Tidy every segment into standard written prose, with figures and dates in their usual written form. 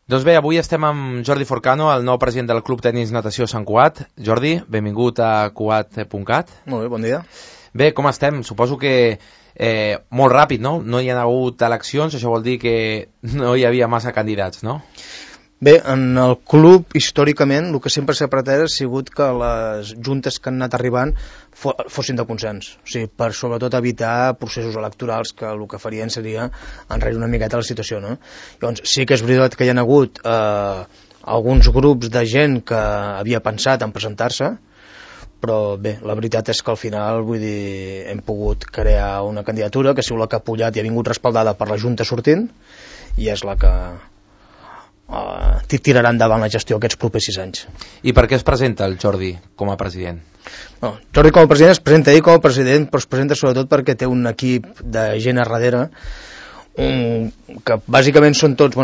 Doncs bé, avui estem amb Jordi Forcano, el nou president del Club Tenis Natació Sant Cugat. Jordi, benvingut a Cugat.cat. Molt bé, bon dia. Bé, com estem? Suposo que molt ràpid, no? No hi ha hagut eleccions, això vol dir que no hi havia massa candidats, no? Bé, en el club, històricament, el que sempre s'ha pretès ha sigut que les juntes que han anat arribant fossin de consens. O sigui, per sobretot evitar processos electorals que el que farien seria enrere una miqueta la situació, no? Llavors, sí que és veritat que hi ha hagut alguns grups de gent que havia pensat en presentar-se, però bé, la veritat és que al final, vull dir, hem pogut crear una candidatura que ha sigut la que ha pujat i ha vingut respaldada per la Junta sortint, i és la que tirarà endavant la gestió aquests propers 6 anys. I per què es presenta el Jordi com a president? No, Jordi com a president es presenta ell com a president, però es presenta sobretot perquè té un equip de gent a darrere, que bàsicament són tots,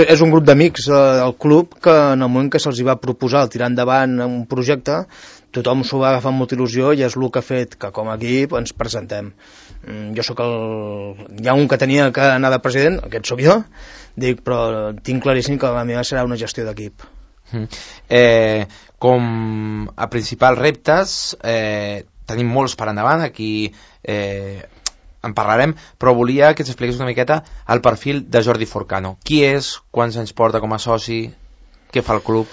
és un grup d'amics del club que en el moment que se'ls va proposar tirar endavant un projecte, tothom s'ho va agafar amb molta il·lusió i és el que ha fet que com a equip ens presentem. Jo sóc hi ha un que tenia que anar de president, aquest sóc jo, però tinc claríssim que la meva serà una gestió d'equip. Com a principals reptes tenim molts per endavant, aquí en parlarem, però volia que ens expliqués una miqueta el perfil de Jordi Forcano. Qui és, quants anys porta com a soci, què fa el club?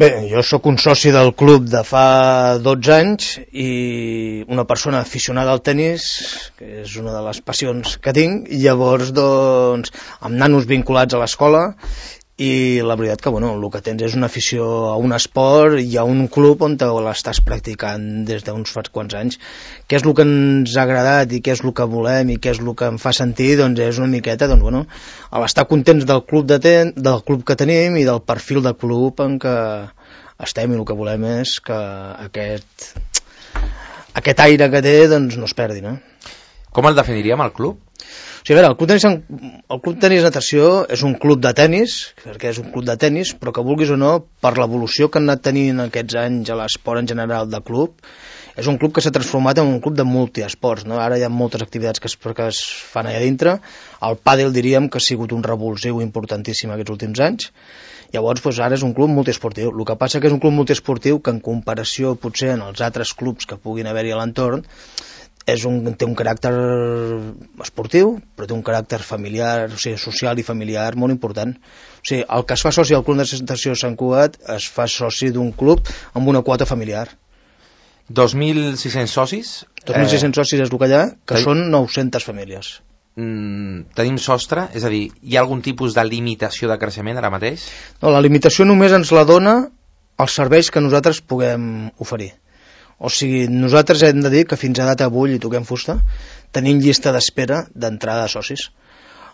Bé, jo sóc un soci del club de fa 12 anys i una persona aficionada al tenis, que és una de les passions que tinc, i llavors, doncs, amb nanos vinculats a l'escola, i la veritat que, el que tens és una afició a un esport i a un club on l'estàs practicant des d'uns quants anys. Què és el que ens ha agradat i què és el que volem i què és el que em fa sentir, doncs és una miqueta, a l'estar contents del club que tenim i del perfil de club en què estem, i el que volem és que aquest aire que té doncs no es perdi, no? Com el definiríem, el club? O sigui, a veure, el Club Tenis Natació és un club de tenis, perquè és un club de tenis, però que vulguis o no, per l'evolució que han anat tenint aquests anys a l'esport en general de club, és un club que s'ha transformat en un club de multiesports, no? Ara hi ha moltes activitats que es fan allà dintre. El pàdel diríem que ha sigut un revulsiu importantíssim aquests últims anys. Llavors, ara és un club multiesportiu. El que passa que és un club multiesportiu que en comparació potser en els altres clubs que puguin haver-hi a l'entorn, té un caràcter esportiu, però té un caràcter familiar, o sigui, social i familiar molt important. O sigui, el que es fa soci al Club de Natació Sant Cugat es fa soci d'un club amb una quota familiar. 2.600 socis? 2.600 socis és el que hi ha, que són 900 famílies. Tenim sostre? És a dir, hi ha algun tipus de limitació de creixement ara mateix? No, la limitació només ens la dona els serveis que nosaltres puguem oferir. O sigui, nosaltres hem de dir que fins a data avui, i toquem fusta, tenim llista d'espera d'entrada de socis.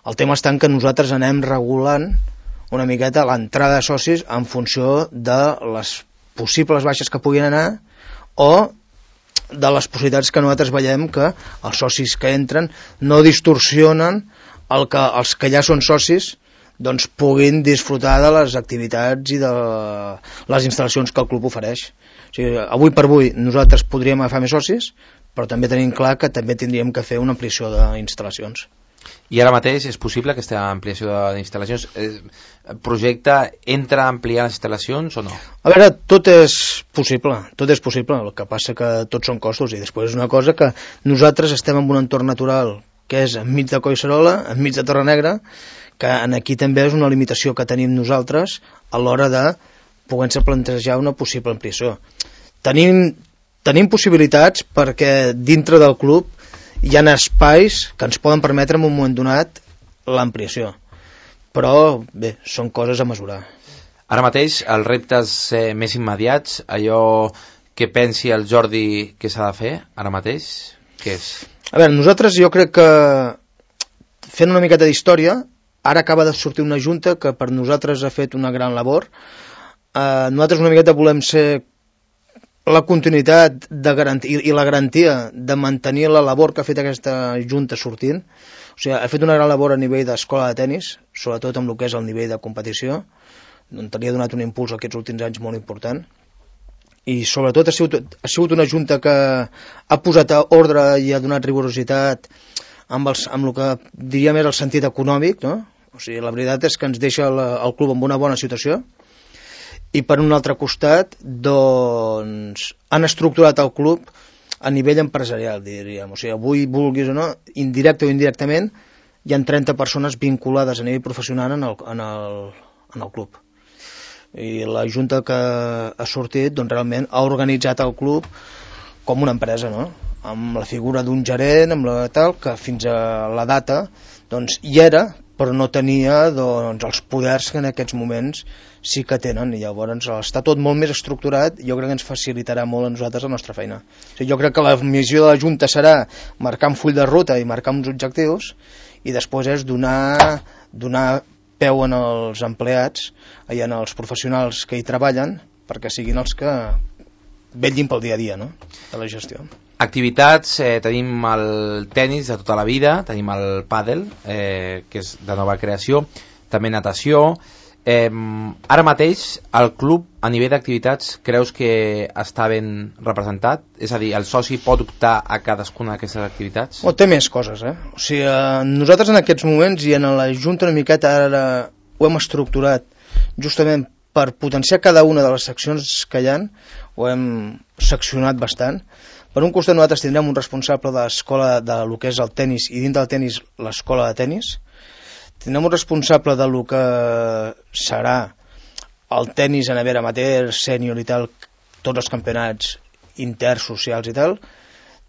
El tema està en que nosaltres anem regulant una miqueta l'entrada de socis en funció de les possibles baixes que puguin anar o de les possibilitats que nosaltres veiem que els socis que entren no distorsionen els que ja són socis doncs puguin disfrutar de les activitats i de les instal·lacions que el club ofereix. O sigui, avui per avui nosaltres podríem agafar més socis, però també tenim clar que també tindríem que fer una ampliació d'instal·lacions. I ara mateix és possible aquesta ampliació d'instal·lacions? El projecte entra a ampliar les instal·lacions o no? A veure, tot és possible, el que passa que tots són costos, i després és una cosa que nosaltres estem en un entorn natural que és enmig de Collserola, enmig de Torrenegra, que aquí també és una limitació que tenim nosaltres a l'hora de poder-se plantejar una possible ampliació. Tenim possibilitats perquè dintre del club hi ha espais que ens poden permetre en un moment donat l'ampliació, però bé, són coses a mesurar. Ara mateix els reptes més immediats, allò que pensi el Jordi que s'ha de fer ara mateix, què és? A veure, nosaltres jo crec que fent una miqueta d'història, ara acaba de sortir una junta que per nosaltres ha fet una gran labor. Nosaltres una miqueta volem ser la continuïtat i la garantia de mantenir la labor que ha fet aquesta junta sortint. O sigui, ha fet una gran labor a nivell d'escola de tenis, sobretot amb el que és el nivell de competició, on li ha donat un impuls aquests últims anys molt important. I sobretot ha sigut una junta que ha posat ordre i ha donat rigorositat amb el que diríem és el sentit econòmic, no? O sigui, la veritat és que ens deixa el club en una bona situació, i per un altre costat, doncs, han estructurat el club a nivell empresarial, diríem. O sigui, avui, vulguis o no, indirecte o indirectament, hi ha 30 persones vinculades a nivell professional en el club. I la junta que ha sortit, doncs, realment ha organitzat el club com una empresa, no? Amb la figura d'un gerent, amb la tal, que fins a la data doncs, hi era, però no tenia doncs, els poders que en aquests moments sí que tenen, i llavors està tot molt més estructurat, i jo crec que ens facilitarà molt a nosaltres la nostra feina. O sigui, jo crec que la missió de la Junta serà marcar un full de ruta i marcar uns objectius, i després és donar peu en els empleats i en els professionals que hi treballen, perquè siguin els que vetllin pel dia a dia, no?, de la gestió. Activitats, tenim el tenis de tota la vida, tenim el pàdel, que és de nova creació, també natació. Ara mateix el club a nivell d'activitats creus que està ben representat? És a dir, el soci pot optar a cadascuna d'aquestes activitats? Té més coses, O sigui, nosaltres en aquests moments i en la Junta una miqueta ara ho hem estructurat justament per potenciar cada una de les seccions que hi ha, ho hem seccionat bastant. Per un costat nosaltres tindrem un responsable de l'escola de lo que és el tenis, i dintre del tenis l'escola de tenis. Tindrem un responsable de lo que serà el tenis a nivell amateur, sènior i tal, tots els campionats intersocials i tal.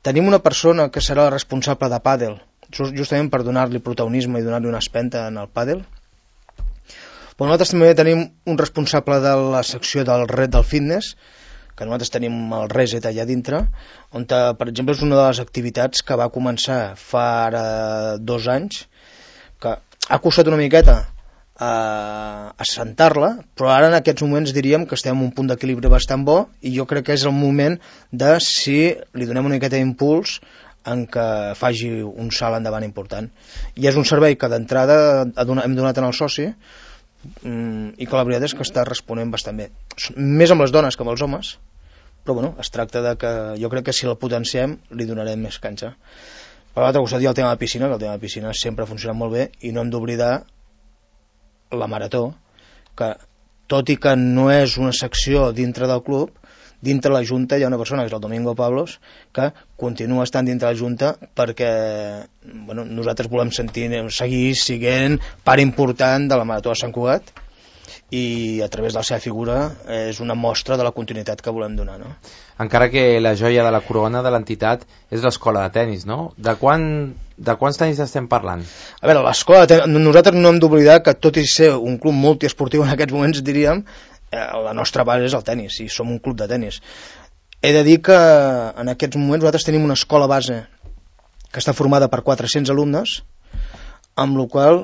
Tenim una persona que serà la responsable de pàdel, justament per donar-li protagonisme i donar-li una espenta en el pàdel. Però nosaltres també tenim un responsable de la secció del red del fitness, que nosaltres tenim el Reset allà dintre, on, per exemple, és una de les activitats que va començar fa ara 2 anys, que ha costat una miqueta a assentar-la, però ara en aquests moments diríem que estem en un punt d'equilibri bastant bo, i jo crec que és el moment de si li donem una miqueta d'impuls en què faci un salt endavant important. I és un servei que d'entrada hem donat en el soci, i que la veritat és que està responent bastant bé, més amb les dones que amb els homes, però bueno, es tracta de que jo crec que si la potenciem li donarem més canxa. Per l'altre costat hi ha el tema de piscina, que el tema de piscina sempre ha funcionat molt bé, i no hem d'oblidar la marató, que tot i que no és una secció dintre del club, dintre la Junta hi ha una persona, que és el Domingo Pablos, que continua estant dintre la Junta perquè nosaltres volem seguir sent part important de la Marató de Sant Cugat, i a través de la seva figura és una mostra de la continuïtat que volem donar, no? Encara que la joia de la corona de l'entitat és l'escola de tenis, no? De quants tenis estem parlant? A veure, l'escola de tenis, nosaltres no hem d'oblidar que tot i ser un club multiesportiu en aquests moments, diríem, la nostra base és el tenis, i som un club de tenis. He de dir que en aquests moments nosaltres tenim una escola base que està formada per 400 alumnes, amb la qual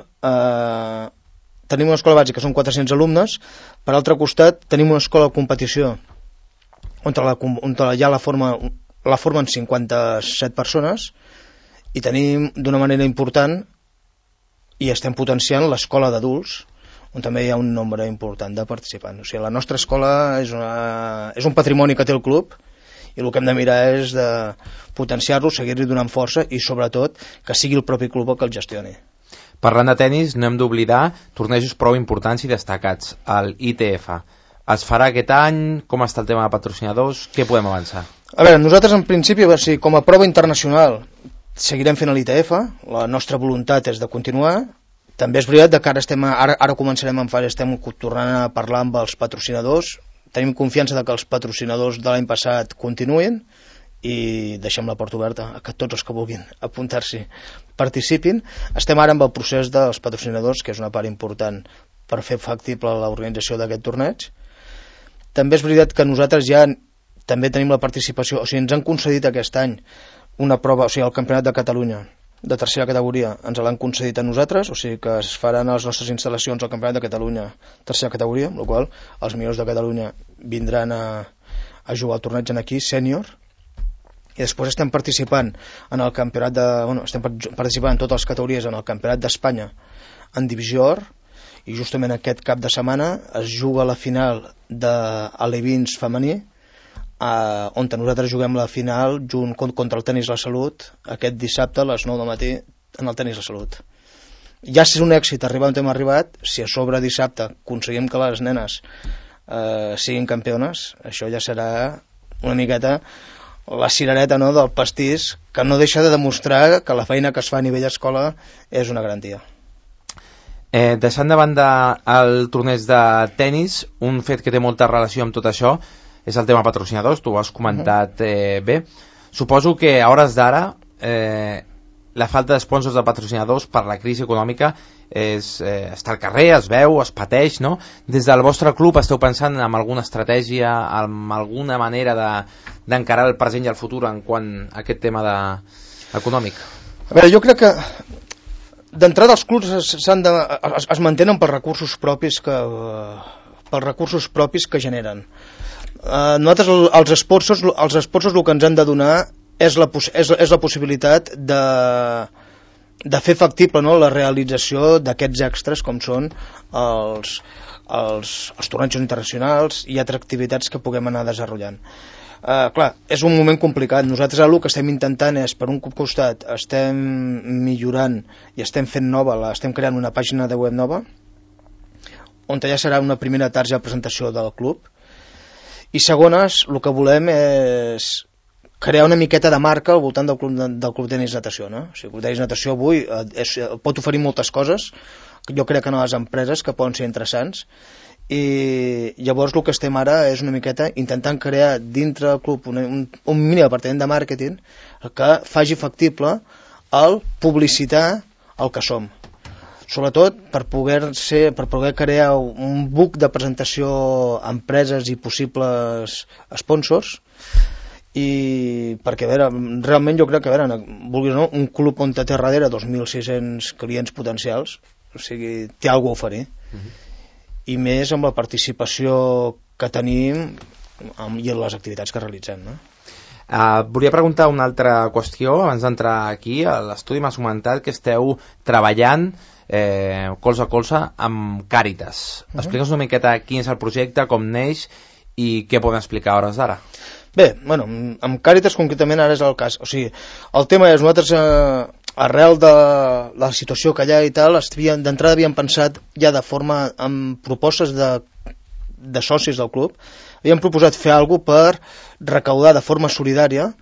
tenim una escola base que són 400 alumnes. Per altre costat tenim una escola de competició on ja la formen 57 persones, i tenim d'una manera important i estem potenciant l'escola d'adults, on també hi ha un nombre important de participants. O sigui, la nostra escola és un patrimoni que té el club, i el que hem de mirar és de potenciar-lo, seguir-li donant força, i sobretot que sigui el propi club el que el gestioni. Parlant de tenis, no hem d'oblidar tornejos prou importants i destacats, el ITF. Es farà aquest any? Com està el tema de patrocinadors? Què podem avançar? A veure, nosaltres en principi, com a prova internacional, seguirem fent l'ITF, la nostra voluntat és de continuar. També és veritat que ara començarem en fase, estem tornant a parlar amb els patrocinadors, tenim confiança que els patrocinadors de l'any passat continuïn, i deixem la porta oberta a que tots els que vulguin apuntar-s'hi participin. Estem ara amb el procés dels patrocinadors, que és una part important per fer factible l'organització d'aquest torneig. També és veritat que nosaltres ja també tenim la participació, o sigui, ens han concedit aquest any una prova, o sigui, el Campionat de Catalunya de tercera categoria ens l'han concedit a nosaltres, o sigui que es faran a les nostres instal·lacions al Campionat de Catalunya tercera categoria, amb la qual els millors de Catalunya vindran a jugar al torneig aquí, sènior. I després estem participant en el campionat estem participant en totes les categories en el Campionat d'Espanya en Divisió Or, i justament aquest cap de setmana es juga la final de Alevins femení, on nosaltres juguem la final contra el Tenis La Salut aquest dissabte a les 9 del matí en el Tenis La Salut. ja si és un èxit arribar on hem arribat, si a sobre dissabte aconseguim que les nenes siguin campiones, això ja serà una miqueta la cirereta, no, del pastís, que no deixa de demostrar que la feina que es fa a nivell escola és una garantia. Deixant de banda el torneig de tennis, un fet que té molta relació amb tot això és el tema patrocinadors, tu ho has comentat bé. Suposo que a hores d'ara la falta d'esponsors de patrocinadors per la crisi econòmica està al carrer, es veu, es pateix, no? Des del vostre club esteu pensant en alguna estratègia, en alguna manera d'encarar el present i el futur en quant a aquest tema econòmic? A veure, jo crec que d'entrada els clubs es mantenen per recursos propis que generen. Nosaltres els sponsors el que ens han de donar és la possibilitat de fer factible, no, la realització d'aquests extras com són els tornejos internacionals i altres activitats que puguem anar desenvolupant. Clar, és un moment complicat. Nosaltres el que estem intentant és, per un costat, estem millorant i estem fent estem creant una pàgina de web nova on ja serà una primera targeta de presentació del club, i segones, el que volem és crear una miqueta de marca al voltant del club tenis natació, no? O sigui, el club tenis natació avui pot oferir moltes coses, jo crec que a les empreses que poden ser interessants, i llavors el que estem ara és una miqueta intentant crear dintre del club un mini departament de màrqueting que faci factible el publicitar el que som, sobretot per poder crear un book de presentació a empreses i possibles sponsors, i perquè, a veure, realment jo crec que, a veure, vulguis o no, un club on té darrere 2.600 clients potencials, o sigui, té alguna cosa a oferir, i més amb la participació que tenim i en les activitats que realitzem, no? Volia preguntar una altra qüestió abans d'entrar aquí. A l'estudi m'has comentat que esteu treballant colze a colze amb Càritas. Explica'ns una miqueta quin és el projecte, com neix i què podem explicar a hores d'ara. Bé, bueno, amb Càritas concretament ara és el cas. O sigui, el tema és, nosaltres arrel de la situació que hi ha i tal, d'entrada havíem pensat ja de forma amb propostes de socis del club, havíem proposat fer alguna cosa per recaudar de forma solidària.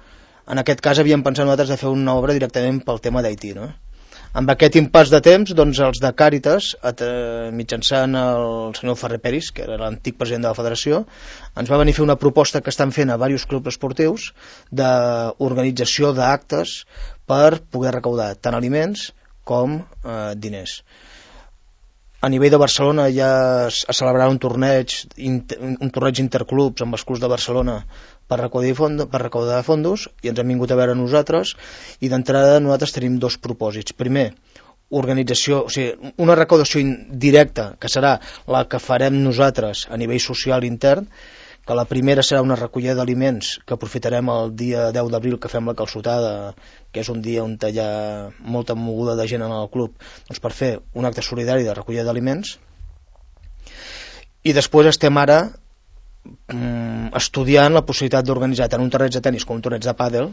En aquest cas havíem pensat nosaltres de fer una obra directament pel tema d'Haití, no? Amb aquest impàs de temps, doncs els de Càritas, mitjançant el senyor Ferrer Peris, que era l'antic president de la federació, ens va venir a fer una proposta que estan fent a diversos clubs esportius d'organització d'actes per poder recaudar tant aliments com diners. A nivell de Barcelona ja es celebrarà un torneig interclubs amb els clubs de Barcelona per recaudar fondos, i ens han vingut a veure nosaltres, i d'entrada nosaltres tenim dos propòsits. Primer, organització, o sigui, una recaudació directa, que serà la que farem nosaltres a nivell social intern, que la primera serà una recollida d'aliments que aprofitarem el dia 10 d'abril que fem la calçotada, que és un dia on hi ha molta moguda de gent en el club, doncs per fer un acte solidari de recollida d'aliments. I després estem ara estudiant la possibilitat d'organitzar tant un torneig de tenis com un torneig de pàdel,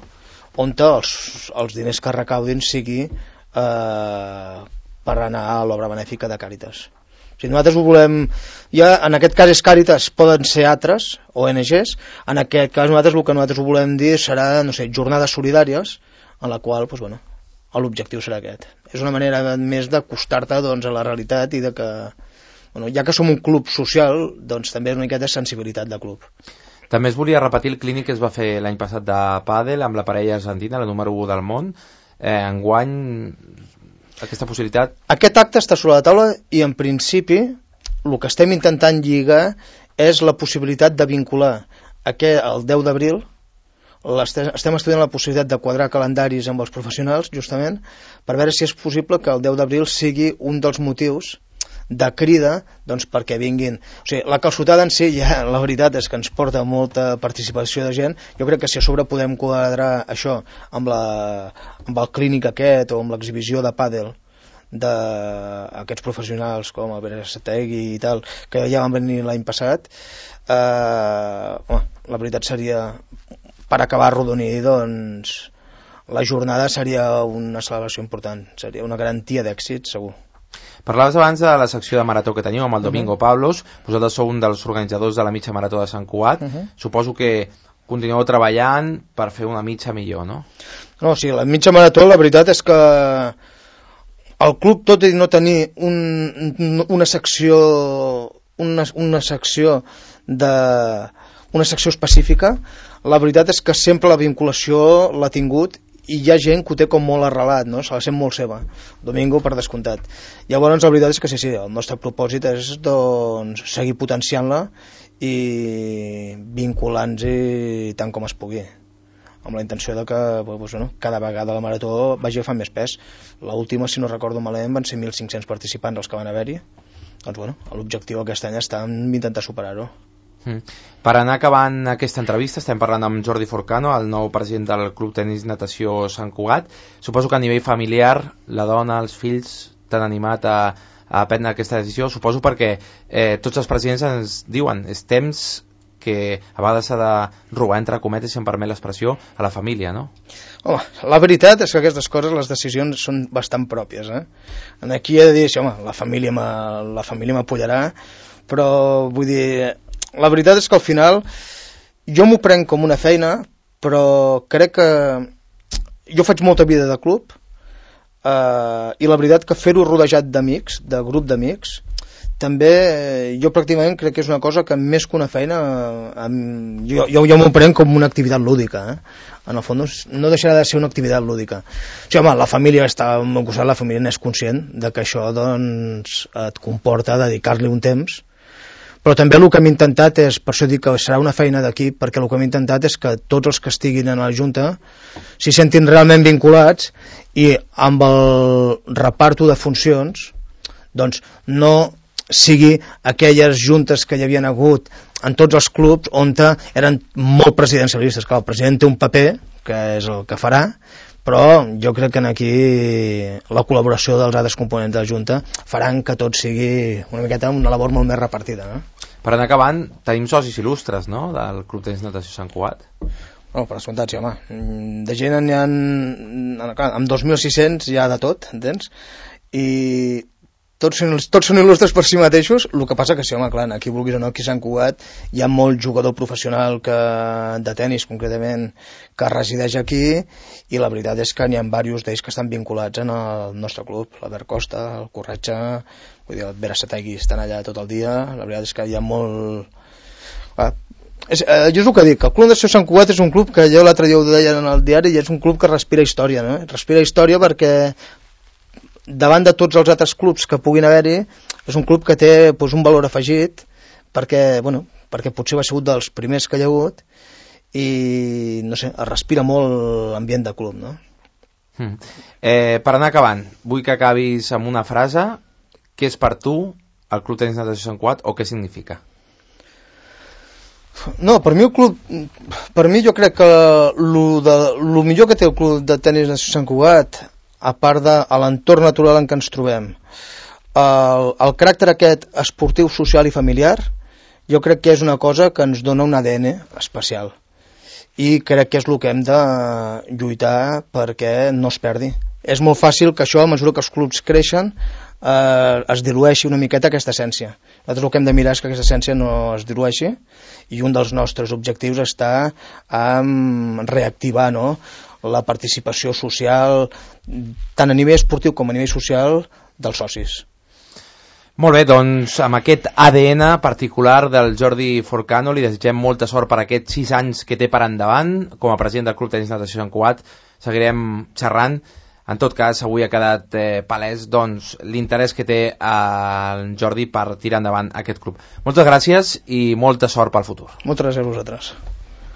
on els diners que recaudin sigui per anar a l'obra benèfica de Càritas. O sigui, nosaltres ho volem, ja en aquest cas és Càritas, poden ser altres ONGs, en aquest cas nosaltres el que nosaltres ho volem dir serà, no sé, jornades solidàries, en la qual, doncs, bueno, l'objectiu serà aquest. És una manera més d'acostar-te, doncs, a la realitat i de que, bueno, ja que som un club social, doncs també és una miqueta de sensibilitat de club. També es volia repetir el clínic que es va fer l'any passat de pàdel amb la parella argentina, la número 1 del món. Enguany, aquesta possibilitat... Aquest acte està sobre la taula i en principi el que estem intentant lligar és la possibilitat de vincular el 10 d'abril. Estem estudiant la possibilitat de quadrar calendaris amb els professionals, justament, per veure si és possible que el 10 d'abril sigui un dels motius de crida, doncs, perquè vinguin. O sigui, la calçotada en si, ja, la veritat és que ens porta molta participació de gent. Jo crec que si a sobre podem quadrar això amb el clínic aquest o amb l'exhibició de pàdel d'aquests professionals com el Berasategui i tal, que ja van venir l'any passat, la veritat seria, per acabar arrodonir, doncs la jornada seria una celebració important, seria una garantia d'èxit, segur. Parlaves abans de la secció de marató que teniu amb el Domingo Pablos. Vosaltres sou un dels organitzadors de la mitja marató de Sant Cugat. Suposo que continueu treballant per fer una mitja millor, no? No, sí, la mitja marató, la veritat és que el club, tot i no tenir una secció específica, la veritat és que sempre la vinculació l'ha tingut i hi ha gent que ho té com molt arrelat, no? Se la sent molt seva. Domingo, per descomptat. Llavors, la veritat és que sí, el nostre propòsit és doncs, seguir potenciant-la i vinculant-hi tant com es pugui, amb la intenció de que cada vegada la marató vagi agafant més pes. L'última, si no recordo malament, van ser 1.500 participants els que van haver-hi. Doncs l'objectiu aquest any està en intentar superar-ho. Per anar acabant aquesta entrevista, estem parlant amb Jordi Forcano, el nou president del Club Tenis Natació Sant Cugat. Suposo que a nivell familiar la dona, els fills t'han animat a prendre aquesta decisió, suposo perquè tots els presidents ens diuen és temps que a vegades s'ha de robar, entre cometes, si em permet l'expressió, a la família, no? Home, la veritat és que aquestes coses, les decisions són bastant pròpies, Aquí he de dir, la família m'apoyarà, però vull dir, la veritat és que al final jo m'ho prenc com una feina, però crec que jo faig molta vida de club, i la veritat que fer-ho rodejat d'amics, de grup d'amics, també jo pràcticament crec que és una cosa que més que una feina jo m'ho prenc com una activitat lúdica, En el fons no deixarà de ser una activitat lúdica. La família està al meu costat, la família n'és conscient de que això doncs, et comporta dedicar-li un temps, però també el que hem intentat és, per això dic que serà una feina d'equip, perquè el que hem intentat és que tots els que estiguin en la Junta s'hi sentin realment vinculats i amb el reparto de funcions doncs no sigui aquelles juntes que hi havien hagut en tots els clubs on eren molt presidencialistes. Clar, el president té un paper, que és el que farà, però jo crec que aquí la col·laboració dels altres components de la Junta faran que tot sigui una miqueta una labor molt més repartida. Per anar acabant, tenim socis il·lustres, no?, del Club Tenis Natació Sant Cugat. Per descomptat, sí, de gent n'hi ha, amb 2.600 hi ha de tot, entens? I tots són il·lustres per si mateixos, el que passa que sí, clar, aquí vulguis o no, aquí a Sant Cugat hi ha molt jugador professional de tenis concretament que resideix aquí, i la veritat és que n'hi ha diversos d'ells que estan vinculats en el nostre club, l'Albert Costa, el Corretxa, vull dir, el Berasategui, estan allà tot el dia. La veritat és que hi ha molt... Jo és el que dic, el Club Natació Sant Cugat és un club que jo l'altre dia ho deia en el diari, i és un club que respira història, no? Respira història perquè davant de tots els altres clubs que puguin haver-hi, és un club que té un valor afegit, perquè potser va ser un dels primers que hi ha hagut, i no sé, es respira molt l'ambient de club, no? Per anar acabant, vull que acabis amb una frase. Què és per tu el Club Tenis Natació Sant Cugat, o què significa? No, per mi jo crec que el millor que té el Club de Tenis Natació Sant Cugat, a part de l'entorn natural en què ens trobem, el caràcter aquest esportiu, social i familiar, jo crec que és una cosa que ens dona un ADN especial, i crec que és el que hem de lluitar perquè no es perdi. És molt fàcil que això, a mesura que els clubs creixen, es dilueixi una miqueta aquesta essència. Nosaltres el que hem de mirar és que aquesta essència no es dilueixi, i un dels nostres objectius està en reactivar, no?, la participació social, tant a nivell esportiu com a nivell social, dels socis. Molt bé, doncs amb aquest ADN particular del Jordi Forcano li desitgem molta sort per aquests 6 anys que té per endavant. Com a president del Club Tenis Natació Sant Cugat seguirem xerrant. En tot cas, avui ha quedat palès doncs, l'interès que té el Jordi per tirar endavant aquest club. Moltes gràcies i molta sort pel futur. Moltes gràcies a vosaltres.